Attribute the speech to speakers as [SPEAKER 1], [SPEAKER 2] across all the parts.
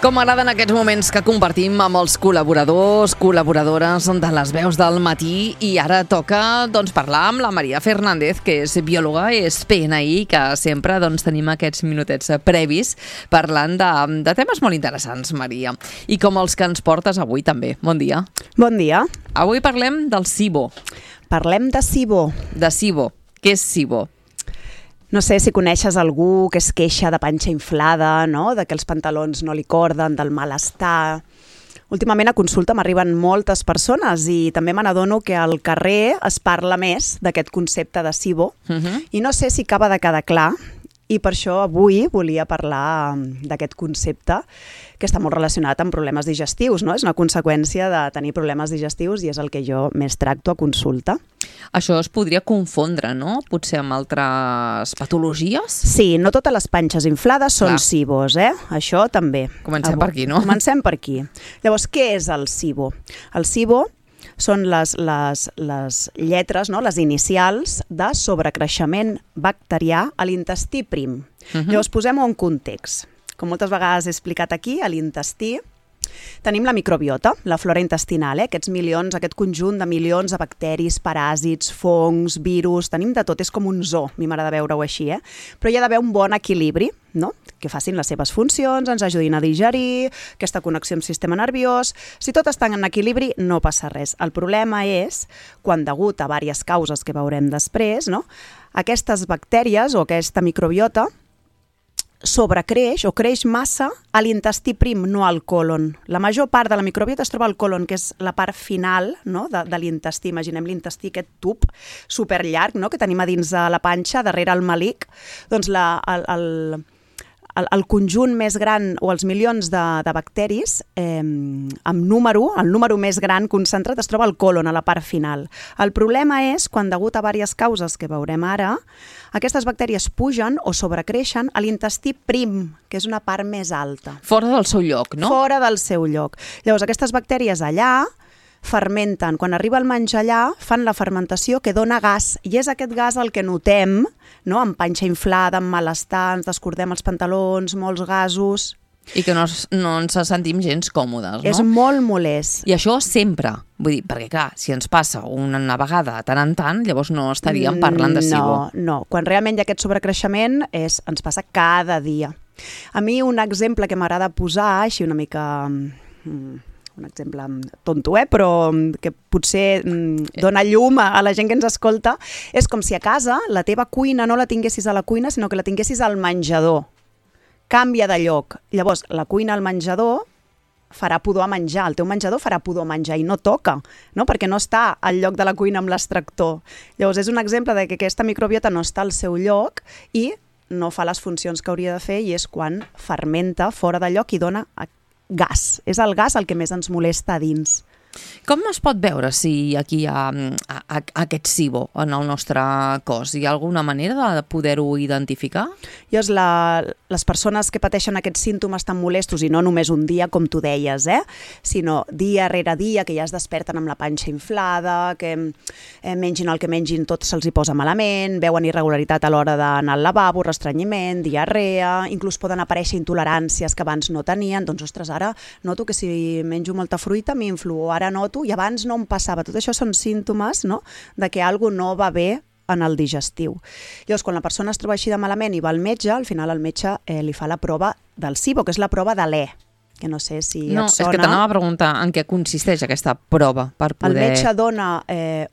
[SPEAKER 1] Com m'agraden aquests moments que compartim amb els col·laboradors, col·laboradores de les veus del matí, i ara toca parlar amb la Maria Fernández, que és biòloga, és PNI, que sempre tenim aquests minutets previs parlant de temes molt interessants, Maria. I com els que ens portes avui també. Bon dia.
[SPEAKER 2] Bon dia.
[SPEAKER 1] Avui parlem del SIBO.
[SPEAKER 2] Parlem de SIBO.
[SPEAKER 1] De SIBO. Què és SIBO?
[SPEAKER 2] No sé si coneixes algú que es queixa de panxa inflada, no? De que els pantalons no li corden, del malestar. Últimament a consulta m'arriben moltes persones i també me n'adono que al carrer es parla més d'aquest concepte de SIBO i no sé si acaba de quedar clar. I per això avui volia parlar d'aquest concepte que està molt relacionat amb problemes digestius, no? És una conseqüència de tenir problemes digestius i és el que jo més tracto a consulta.
[SPEAKER 1] Això es podria confondre, no? Potser amb altres patologies?
[SPEAKER 2] Sí, no totes les panxes inflades són SIBOs, Això també.
[SPEAKER 1] Comencem per aquí, no?
[SPEAKER 2] Comencem per aquí. Llavors, què és el SIBO? El SIBO són les lletres, no? Les inicials de sobrecreixement bacterià a l'intestí prim. Llavors, posem-ho en context. Com moltes vegades he explicat aquí, a l'intestí tenim la microbiota, la flora intestinal, aquest conjunt de milions de bacteris, paràsits, fongs, virus, tenim de tot, és com un zoo, a mi m'agrada veure-ho així, Però hi ha d'haver un bon equilibri, no? Que facin les seves funcions, ens ajudin a digerir, aquesta connexió amb el sistema nerviós. Si tot està en equilibri, no passa res. El problema és quan, degut a diverses causes que veurem després, no? Aquestes bactèries o aquesta microbiota sobrecreix o creix massa a l'intestí prim, no al còlon. La major part de la microbiota es troba al còlon, que és la part final, no? de l'intestí. Imaginem l'intestí, aquest tub superllarg, no? Que tenim a dins de la panxa, darrere el melic. Doncs el conjunt més gran o els milions de bacteris amb número, el número més gran concentrat es troba al còlon, a la part final. El problema és quan, degut a diverses causes que veurem ara, aquestes bactèries pugen o sobrecreixen a l'intestí prim, que és una part més alta.
[SPEAKER 1] Fora del seu lloc, no?
[SPEAKER 2] Fora del seu lloc. Llavors, aquestes bactèries allà fermenten. Quan arriba el menjar allà, fan la fermentació que dona gas, i és aquest gas el que notem, no? Amb panxa inflada, amb malestar, ens descordem els pantalons, molts gasos.
[SPEAKER 1] I que no ens sentim gens còmodes, no?
[SPEAKER 2] És molt molest.
[SPEAKER 1] I això sempre, vull dir, perquè clar, si ens passa una vegada tant en tant, llavors no estaríem parlant de SIBO.
[SPEAKER 2] No. Quan realment hi ha aquest sobrecreixement ens passa cada dia. A mi un exemple que m'agrada posar, així una mica... un exemple tonto, però que potser dona llum a la gent que ens escolta, és com si a casa la teva cuina no la tinguessis a la cuina, sinó que la tinguessis al menjador. Canvia de lloc. Llavors, la cuina al menjador farà pudor a menjar, el teu menjador farà pudor a menjar i no toca, no? Perquè no està al lloc de la cuina amb l'extractor. Llavors, és un exemple de que aquesta microbiota no està al seu lloc i no fa les funcions que hauria de fer, i és quan fermenta fora de lloc i dona gas. És el gas el que més ens molesta a dins.
[SPEAKER 1] Com es pot veure si aquí hi ha aquest SIBO en el nostre cos? Hi ha alguna manera de poder-ho identificar?
[SPEAKER 2] Llavors, les persones que pateixen aquests símptomes tan molestos, i no només un dia, com tu deies, sinó dia rere dia, que ja es desperten amb la panxa inflada, que mengin el que mengin tot se'ls hi posa malament, veuen irregularitat a l'hora d'anar al lavabo, restrenyiment, diarrea, inclús poden aparèixer intoleràncies que abans no tenien. Doncs, ostres, ara noto que si menjo molta fruita m'influo, ara noto, i abans no em passava. Tot això són símptomes, no?, de que alguna cosa no va bé en el digestiu. Llavors, quan la persona es troba així de malament i va al metge, al final el metge li fa la prova del SIBO, que és la prova de l'E, que no sé si et sona.
[SPEAKER 1] No, és que t'anava a preguntar en què consisteix aquesta prova per poder...
[SPEAKER 2] El metge dona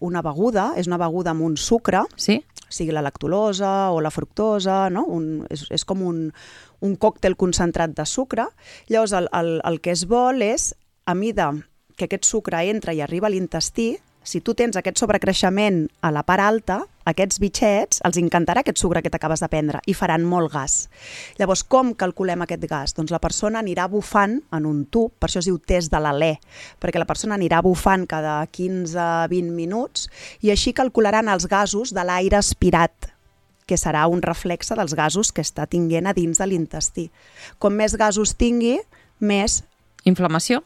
[SPEAKER 2] una beguda, és una beguda amb un sucre,
[SPEAKER 1] sí?
[SPEAKER 2] Sigui la lactulosa o la fructosa, no? És com un còctel concentrat de sucre. Llavors, el que es vol és, a mida que aquest sucre entra i arriba a l'intestí, si tu tens aquest sobrecreixement a la part alta, aquests bitxets els encantarà aquest sucre que t'acabes de prendre i faran molt gas. Llavors, com calculem aquest gas? Doncs la persona anirà bufant en un tub, per això es diu test de l'alè, perquè la persona anirà bufant cada 15-20 minuts i així calcularan els gasos de l'aire aspirat, que serà un reflexe dels gasos que està tinguent a dins de l'intestí. Com més gasos tingui, més...
[SPEAKER 1] Inflamació?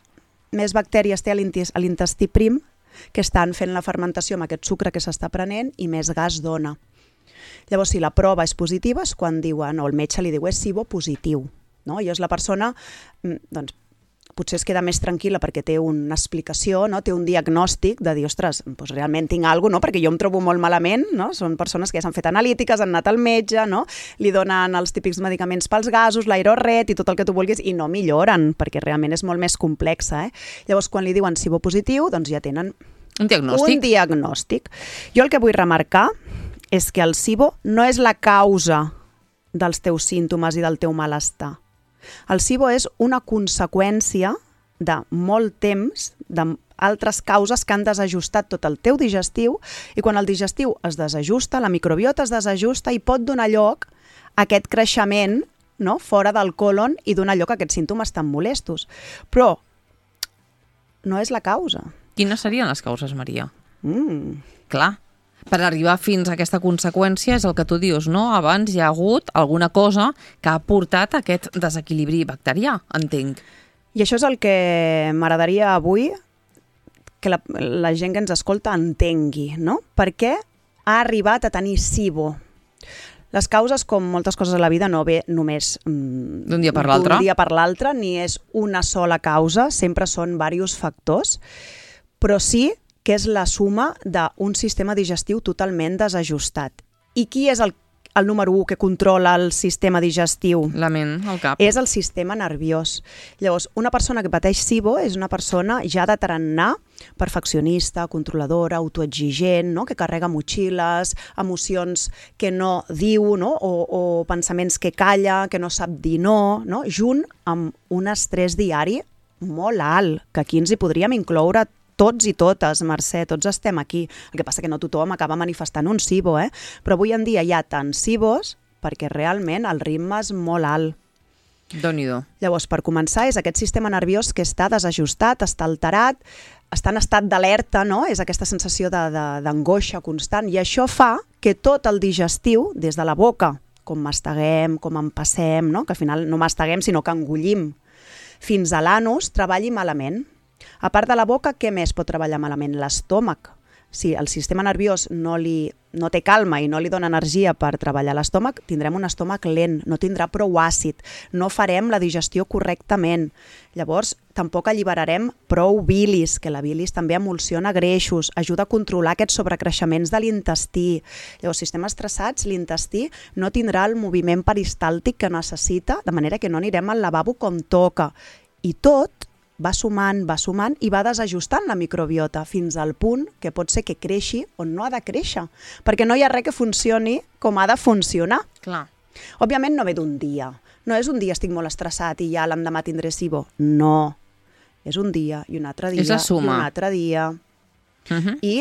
[SPEAKER 2] Més bactèries té a l'intestí prim, que estan fent la fermentació amb aquest sucre que s'està prenent, i més gas dona. Llavors, si la prova és positiva, és quan diuen, o el metge li diu, és SIBO positiu. no? I és la persona, doncs, potser es queda més tranquil·la perquè té una explicació, no? Té un diagnòstic de dir, ostres, doncs realment tinc alguna cosa, no? Perquè jo em trobo molt malament, no? Són persones que ja s'han fet analítiques, han anat al metge, no? Li donen els típics medicaments pels gasos, l'aerorret i tot el que tu vulguis, i no milloren, perquè realment és molt més complexa. Llavors, quan li diuen SIBO positiu, doncs ja tenen
[SPEAKER 1] un diagnòstic.
[SPEAKER 2] Jo el que vull remarcar és que el SIBO no és la causa dels teus símptomes i del teu malestar. El SIBO és una conseqüència de molt temps, d'altres causes que han desajustat tot el teu digestiu, i quan el digestiu es desajusta, la microbiota es desajusta i pot donar lloc a aquest creixement, no? Fora del còlon i donar lloc a aquests símptomes tan molestos. Però no és la causa.
[SPEAKER 1] Quines serien les causes, Maria? Clar. Per arribar fins a aquesta conseqüència és el que tu dius, no? Abans hi ha hagut alguna cosa que ha portat a aquest desequilibri bacterià, entenc.
[SPEAKER 2] I això és el que m'agradaria avui que la gent que ens escolta entengui, no? Per què ha arribat a tenir SIBO? Les causes, com moltes coses a la vida, no ve només
[SPEAKER 1] d'un dia per l'altre,
[SPEAKER 2] ni és una sola causa, sempre són diversos factors, però sí que és la suma d'un sistema digestiu totalment desajustat. I qui és el número 1 que controla el sistema digestiu?
[SPEAKER 1] La ment, el cap.
[SPEAKER 2] És el sistema nerviós. Llavors, una persona que pateix SIBO és una persona ja de tarannà perfeccionista, controladora, autoexigent, no? Que carrega motxilles, emocions que no diu, no? O pensaments que calla, que no sap dir no, no? Junt amb un estrès diari molt alt, que aquí ens hi podríem incloure tots i totes, Mercè, tots estem aquí. El que passa que no tothom acaba manifestant un SIBO, però avui en dia hi ha tants SIBOs perquè realment el ritme és molt alt.
[SPEAKER 1] Déu-n'hi-do.
[SPEAKER 2] Llavors, per començar, és aquest sistema nerviós que està desajustat, està alterat, està en estat d'alerta, no? És aquesta sensació d'angoixa constant, i això fa que tot el digestiu, des de la boca, com masteguem, com empassem, no? Que al final no masteguem, sinó que engullim, fins a l'anus, treballi malament. A part de la boca, què més pot treballar malament? L'estómac. Si el sistema nerviós no té calma i no li dona energia per treballar l'estómac, tindrem un estómac lent, no tindrà prou àcid, no farem la digestió correctament. Llavors, tampoc alliberarem prou bilis, que la bilis també emulsiona greixos, ajuda a controlar aquests sobrecreixements de l'intestí. Llavors, si estem estressats, l'intestí no tindrà el moviment peristàltic que necessita, de manera que no anirem al lavabo com toca. I tot va sumant i va desajustant la microbiota fins al punt que pot ser que creixi on no ha de créixer, perquè no hi ha res que funcioni com ha de funcionar.
[SPEAKER 1] Clar.
[SPEAKER 2] Òbviament no ve d'un dia. No és un dia estic molt estressat i ja l'endemà tindré SIBO. No. És un dia i un altre dia.
[SPEAKER 1] És la suma.
[SPEAKER 2] I un altre dia. I,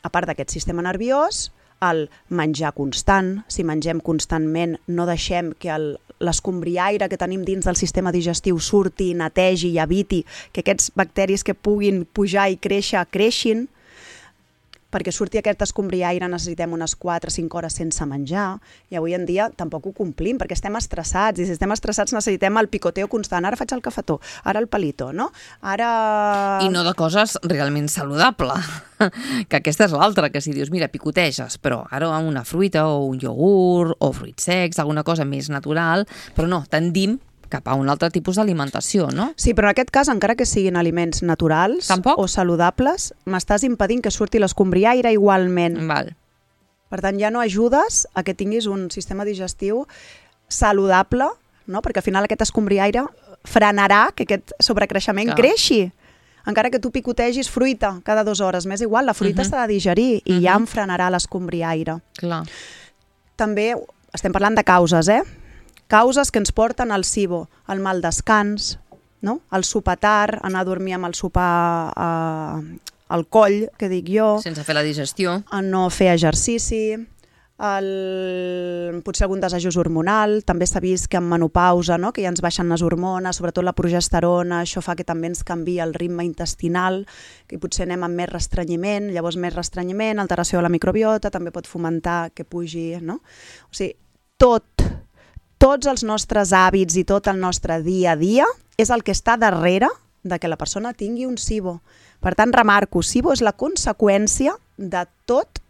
[SPEAKER 2] a part d'aquest sistema nerviós, el menjar constant. Si mengem constantment, no deixem que l'escombriaire que tenim dins del sistema digestiu surti, netegi i eviti que aquests bacteris que puguin pujar i créixer, creixin. Perquè surti aquest escombriaire necessitem unes 4-5 hores sense menjar, i avui en dia tampoc ho complim perquè estem estressats, i si estem estressats necessitem el picoteo constant. Ara faig el cafetó, ara el palito, no? Ara...
[SPEAKER 1] I no de coses realment saludables, que aquesta és l'altra, que si dius, mira, picoteges, però ara una fruita o un iogurt o fruits secs, alguna cosa més natural, però no, tendim cap a un altre tipus d'alimentació, no?
[SPEAKER 2] Sí, però en aquest cas, encara que siguin aliments naturals o saludables, m'estàs impedint que surti l'escombriaire igualment.
[SPEAKER 1] Val.
[SPEAKER 2] Per tant, ja no ajudes a que tinguis un sistema digestiu saludable, no? Perquè al final aquest escombriaire frenarà que aquest sobrecreixement creixi. Encara que tu picotegis fruita cada 2 hores, m'és igual, la fruita s'ha de digerir i ja em frenarà l'escombriaire.
[SPEAKER 1] Clar.
[SPEAKER 2] També estem parlant de causes, causes que ens porten al SIBO, el mal descans, no? El sopar tard, anar a dormir amb el sopar al coll, que dic jo.
[SPEAKER 1] Sense fer la digestió.
[SPEAKER 2] No fer exercici, potser algun desajust hormonal. També s'ha vist que en menopausa, no? Que ja ens baixen les hormones, sobretot la progesterona, això fa que també ens canvia el ritme intestinal, que potser anem amb més restrenyiment, llavors més restrenyiment, alteració de la microbiota, també pot fomentar que pugi, no? O sigui, tots els nostres hàbits i tot el nostre dia a dia és el que està darrere de que la persona tingui un SIBO. Per tant, remarco, SIBO és la conseqüència de tot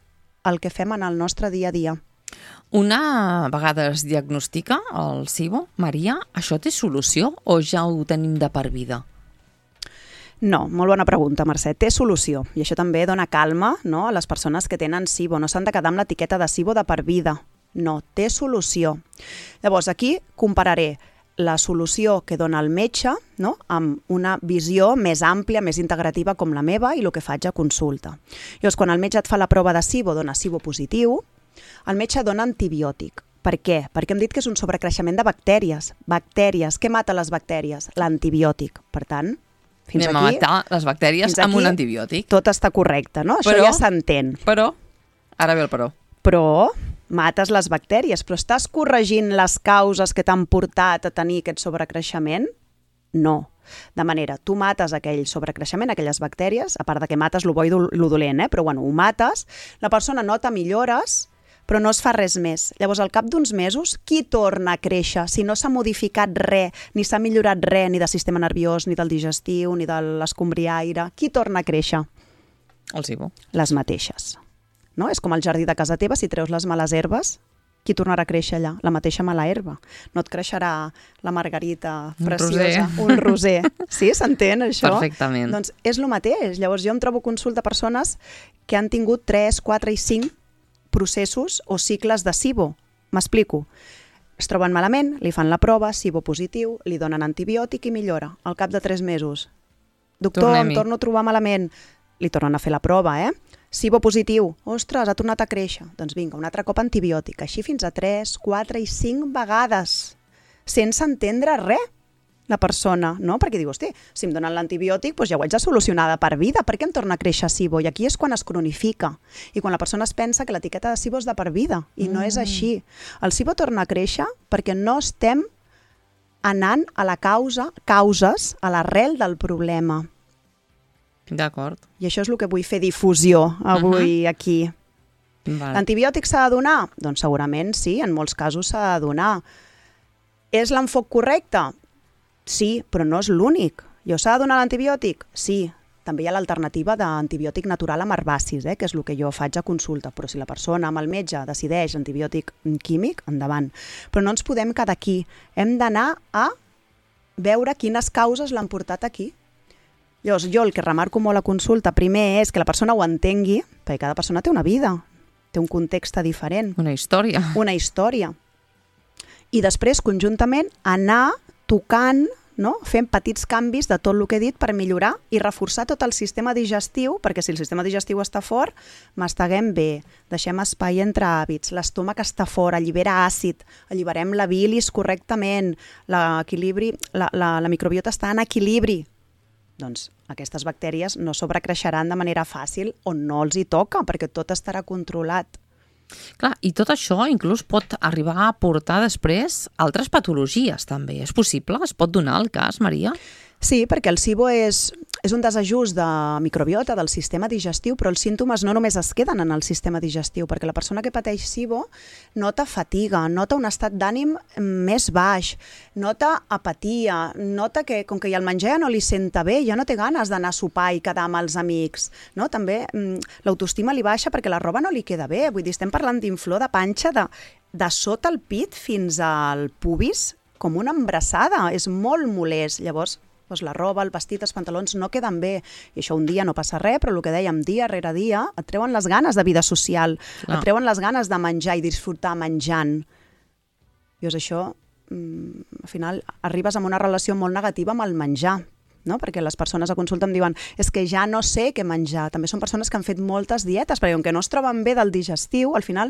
[SPEAKER 2] el que fem en el nostre dia a dia.
[SPEAKER 1] Una vegada es diagnostica el SIBO, Maria, això té solució o ja ho tenim de per vida?
[SPEAKER 2] No, molt bona pregunta, Mercè. Té solució. I això també dona calma, no?, a les persones que tenen SIBO. No s'han de quedar amb l'etiqueta de SIBO de per vida. No, té solució. Llavors, aquí compararé la solució que dona el metge, no?, amb una visió més àmplia, més integrativa com la meva i el que faig a consulta. Llavors, quan el metge et fa la prova de SIBO, dona SIBO positiu, el metge dona antibiòtic. Per què? Perquè hem dit que és un sobrecreixement de bactèries. Bactèries. Què mata les bactèries? L'antibiòtic. Per tant, fins
[SPEAKER 1] anem
[SPEAKER 2] aquí,
[SPEAKER 1] a matar les bactèries amb un antibiòtic.
[SPEAKER 2] Tot està correcte, no? Això
[SPEAKER 1] Però,
[SPEAKER 2] ja s'entén.
[SPEAKER 1] Però, ara ve el però.
[SPEAKER 2] Però mates les bactèries, però estàs corregint les causes que t'han portat a tenir aquest sobrecreixement? No. De manera, tu mates aquell sobrecreixement, aquelles bactèries, a part de que mates lo bo i lo dolent, però bueno, ho mates, la persona nota millores, però no es fa res més. Llavors, al cap d'uns mesos, qui torna a créixer si no s'ha modificat res, ni s'ha millorat res, ni del sistema nerviós, ni del digestiu, ni de l'escombriaire? Qui torna a créixer?
[SPEAKER 1] El SIBO.
[SPEAKER 2] Les mateixes. No? És com el jardí de casa teva, si treus les males herbes, qui tornarà a créixer allà? La mateixa mala herba. No et creixerà la margarita preciosa, un roser. Sí, s'entén això?
[SPEAKER 1] Perfectament.
[SPEAKER 2] Doncs és el mateix. Llavors jo em trobo consulta persones que han tingut 3, 4 i 5 processos o cicles de SIBO. M'explico. Es troben malament, li fan la prova, SIBO positiu, li donen antibiòtic i millora. Al cap de 3 mesos. Doctor, em torno a trobar malament. Li tornen a fer la prova, SIBO positiu. Ostres, ha tornat a créixer. Doncs vinga, un altre cop antibiòtic. Així fins a 3, 4 i 5 vegades. Sense entendre res, la persona, no? Perquè diu, hosti, si em donen l'antibiòtic, doncs ja ho haig de solucionar de per vida. Per què em torna a créixer SIBO? I aquí és quan es cronifica. I quan la persona es pensa que l'etiqueta de SIBO és de per vida. I no és així. El SIBO torna a créixer perquè no estem anant a la causes, a l'arrel del problema.
[SPEAKER 1] D'acord.
[SPEAKER 2] I això és el que vull fer difusió avui aquí.
[SPEAKER 1] Vale.
[SPEAKER 2] L'antibiòtic s'ha de donar? Doncs segurament sí, en molts casos s'ha de donar. És l'enfoc correcte? Sí, però no és l'únic. S'ha de donar l'antibiòtic? Sí. També hi ha l'alternativa d'antibiòtic natural amb herbacis, que és el que jo faig a consulta. Però si la persona amb el metge decideix antibiòtic químic, endavant. Però no ens podem quedar aquí. Hem d'anar a veure quines causes l'han portat aquí. Llavors, jo el que remarco molt a consulta primer és que la persona ho entengui, perquè cada persona té una vida, té un context diferent.
[SPEAKER 1] Una història.
[SPEAKER 2] Una història. I després, conjuntament, anar tocant, no?, fent petits canvis de tot el que he dit per millorar i reforçar tot el sistema digestiu, perquè si el sistema digestiu està fort, masteguem bé, deixem espai entre hàbits, l'estómac està fort, allibera àcid, alliberem la bilis correctament, l'equilibri, la microbiota està en equilibri. Doncs aquestes bactèries no sobrecreixeran de manera fàcil o no els hi toca, perquè tot estarà controlat.
[SPEAKER 1] Clar, i tot això inclús pot arribar a portar després altres patologies també. És possible? Es pot donar el cas, Maria?
[SPEAKER 2] Sí, perquè el SIBO és un desajust de microbiota del sistema digestiu, però els símptomes no només es queden en el sistema digestiu, perquè la persona que pateix SIBO nota fatiga, nota un estat d'ànim més baix, nota apatia, nota que com que el menjar ja no li senta bé, ja no té ganes d'anar a sopar i quedar amb els amics. No? També l'autoestima li baixa perquè la roba no li queda bé. Vull dir, estem parlant d'inflor de panxa de sota el pit fins al pubis, com una embrassada. És molt molest. Llavors, la roba, el vestit, els pantalons no queden bé. I això un dia no passa res, però el que dèiem, dia rere dia, et treuen les ganes de vida social, et treuen les ganes de menjar i disfrutar menjant. Llavors això, al final, arribes amb una relació molt negativa amb el menjar, no? Perquè les persones a consulta em diuen és que ja no sé què menjar. També són persones que han fet moltes dietes, perquè com que no es troben bé del digestiu, al final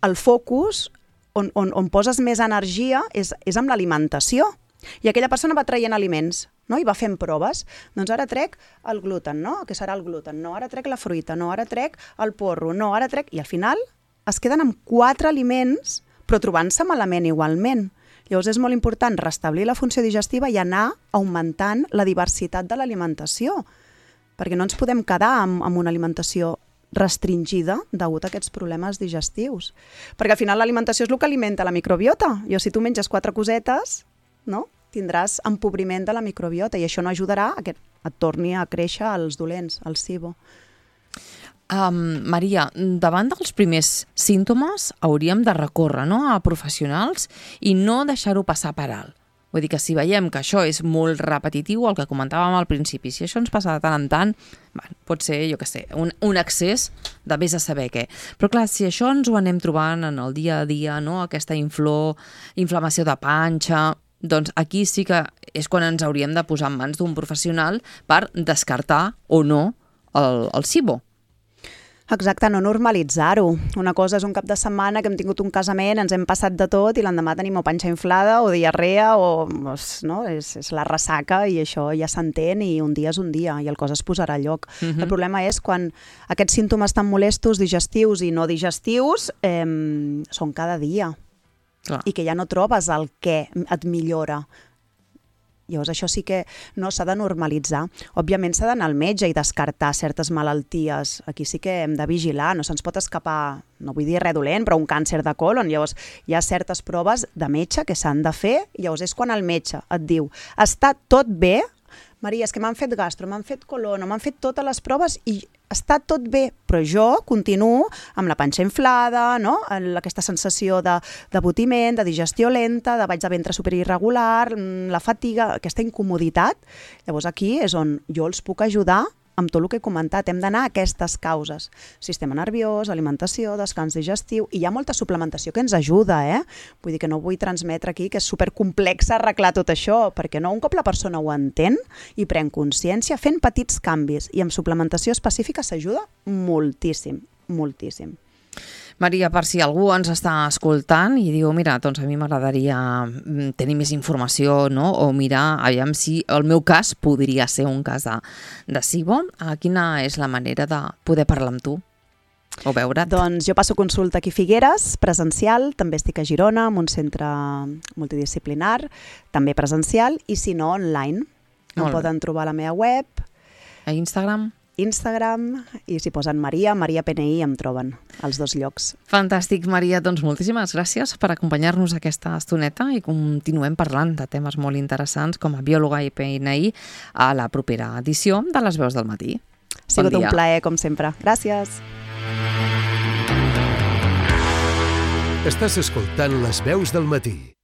[SPEAKER 2] el focus on poses més energia és amb l'alimentació. I aquella persona va traient aliments, no? I va fent proves. Doncs ara trec el gluten, no? Què serà el gluten? No, ara trec la fruita, no, ara trec el porro, no, ara trec... I al final es queden amb 4 aliments, però trobant-se malament igualment. Llavors és molt important restablir la funció digestiva i anar augmentant la diversitat de l'alimentació, perquè no ens podem quedar amb una alimentació restringida degut a aquests problemes digestius. Perquè al final l'alimentació és el que alimenta la microbiota. Si tu menges 4 cosetes, no? Tindràs empobriment de la microbiota i això no ajudarà a que et torni a créixer els dolents, el SIBO.
[SPEAKER 1] Maria, davant dels primers símptomes hauríem de recórrer, no?, a professionals i no deixar-ho passar per alt. Vull dir que si veiem que això és molt repetitiu, el que comentàvem al principi, si això ens passa de tant en tant, pot ser, jo què sé, un excés de vés a saber què. Però clar, si això ens ho anem trobant en el dia a dia, no?, aquesta inflamació de panxa, doncs aquí sí que és quan ens hauríem de posar en mans d'un professional per descartar o no el SIBO.
[SPEAKER 2] Exacte, no normalitzar-ho. Una cosa és un cap de setmana que hem tingut un casament, ens hem passat de tot i l'endemà tenim o panxa inflada o diarrea o no? És la ressaca i això ja s'entén i un dia és un dia i el cos es posarà a lloc. El problema és quan aquests símptomes tan molestos, digestius i no digestius, són cada dia. Clar. I que ja no trobes el què et millora. Llavors, això sí que no s'ha de normalitzar. Òbviament s'ha d'anar al metge i descartar certes malalties. Aquí sí que hem de vigilar, no se'ns pot escapar, no vull dir res dolent, però un càncer de colon. Llavors, hi ha certes proves de metge que s'han de fer, i llavors és quan el metge et diu està tot bé? Maria, és que m'han fet gastro, m'han fet colon, m'han fet totes les proves i està tot bé, però jo continuo amb la panxa inflada, no? Aquesta sensació d'abotiment, de digestió lenta, de baix de ventre superirregular, la fatiga, aquesta incomoditat. Llavors aquí és on jo els puc ajudar amb tot el que he comentat. Hem d'anar a aquestes causes. Sistema nerviós, alimentació, descans digestiu, i hi ha molta suplementació que ens ajuda, Vull dir que no vull transmetre aquí que és supercomplex arreglar tot això, perquè no, un cop la persona ho entén i pren consciència, fent petits canvis i amb suplementació específica s'ajuda moltíssim, moltíssim.
[SPEAKER 1] Maria, per si algú ens està escoltant i diu, mira, doncs a mi m'agradaria tenir més informació, no?, o mirar, aviam si el meu cas podria ser un cas de SIBO, quina és la manera de poder parlar amb tu o veure't? Doncs
[SPEAKER 2] jo passo consulta aquí a Figueres, presencial, també estic a Girona, en un centre multidisciplinar, també presencial, i si no, online. Em poden trobar a la meva web.
[SPEAKER 1] A Instagram,
[SPEAKER 2] i si posen Maria PNI em troben als dos llocs.
[SPEAKER 1] Fantàstic, Maria. Doncs moltíssimes gràcies per acompanyar-nos aquesta estoneta i continuem parlant de temes molt interessants com a biòloga i PNI a la propera edició de Les Veus del Matí.
[SPEAKER 2] Ha sigut un plaer, com sempre. Gràcies.
[SPEAKER 3] Estàs escoltant Les Veus del Matí.